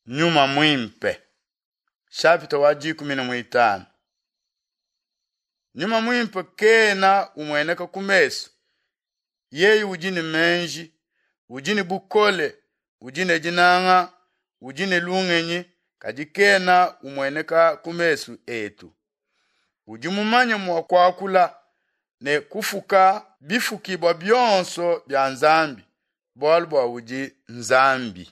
Nyuma Muimpe Shapita wa dikumi ne muitanu. Nyuma Muimpe kena umueneka ku mesu. Yeye udi ne meji, udi ne bukole, udi ne dinanga, udi ne lungenyi, kadi kena umueneka ku mesu etu. Udi mumanye mua kuakula ne kufuka bifukibua bionso bia Nzambi, bualu bua udi Nzambi.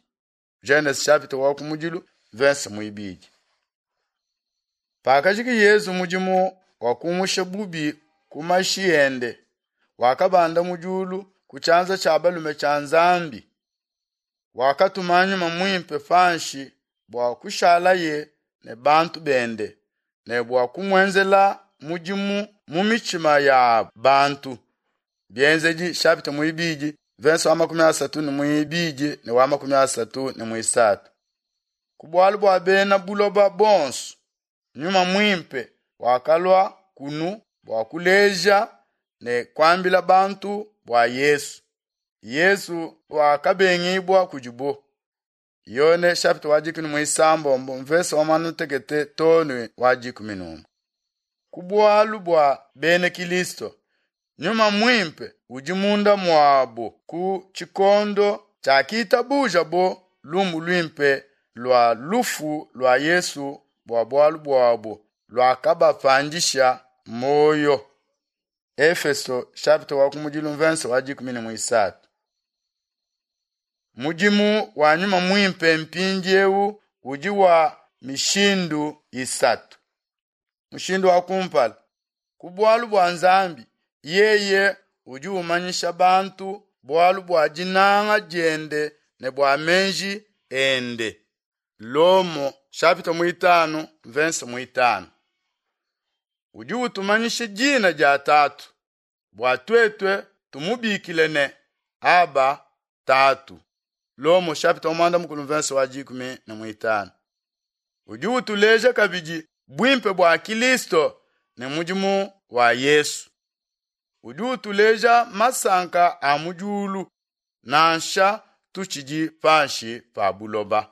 Genese chapitre wa kumudilu verse muibidi. Pakajiki Yezu mudimu wa kumusha bubi ku mashi ende, wakabanda mu diulu ku tshianza tshia balume tshia Nzambi. Wakatuma nyuma muimpe panshi bua kushalaye ne bantu bende ne bua kumuenzela mudimu mu mitshima ya bantu. Bienzedi chapitre muibidi verse wa 32 ne wa 33. Ku bualu bua bena buloba bonso, nyuma muimpe wakalua kunu bua kuleja ne kuambila bantu bua Yesu. Yesu wakabengibua kudibo. Yone chapitre wa 16 mvese wa muanda-mutekete too ne wa 11. Ku bualu bua bena Kilisto, nyuma muimpe udi munda muabo ku tshikondo tshiakitabujabo lumu luimpe lua lufu lua Yesu bua bualu buabo luakabapandisha muoyo. Efeso chapitre wa kumudilu mvese wa 13. Mudimu wa nyuma muimpe mpindiewu udi wa mishindu isatu. Mushindu wa kumpala, ku bualu bua Nzambi, yeye udi umanyisha bantu bualu bua dinanga diende ne bua meji ende. Lomo chapitre muitanu verse muitanu. Udi utumanyisha dina dia Tatu bua tuetu tumubikile ne Aba Tatu. Lomo chapitre wa muanda-mukulu verse wa 15. Udi utuleja kabidi buimpe bua Kilisto ne mudimu wa Yesu. Udi utuleja masanka a mu diulu nansha tutshidi panshi pa buloba.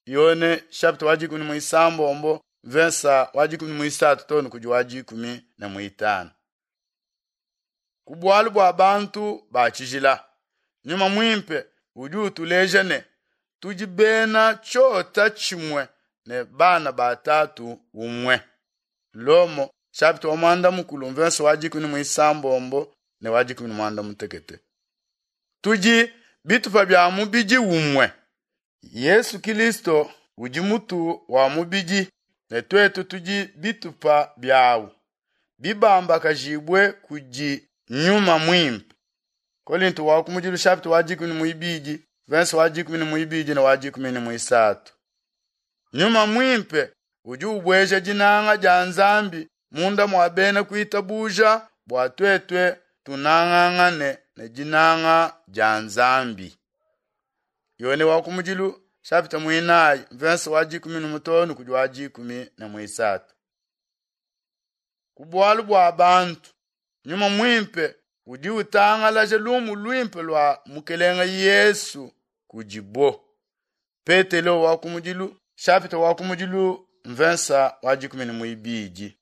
Yone chapitre wa 16 verse wa 13 too ne kudi wa 15. Ku bualu bua bantu ba tshijila, nyuma muimpe udi utuleja ne tudi bena tshiota tshimue ne bana ba tatu umue. Lomo chapitre wa muanda-mukulu verse wa 16 ne wa 16. Tudi bitupa bia mubidi umue. Yesu Kilisto udi mutu wa mubidi ne tuetu tudi bitupa biawu bibambakajibue kudi nyuma muimpe. Kolinto wa kumudilu chapitre wa 12 verse wa 12 ne wa 13. Nyuma muimpe udi ubueja dinanga dia Nzambi munda mua bena kuitabuja bua tuetu tunangangane ne dinanga dia Nzambi. Yone wa kumudilu chapitre muinayi verse wa 15 kudi wa 13. Ku bualu bua bantu, nyuma muimpe udi utangalaja lumu luimpe lua Mukelenge Yesu kudibo. Petelo wa kumudilu chapitre wa kumudilu mvensa wa 12.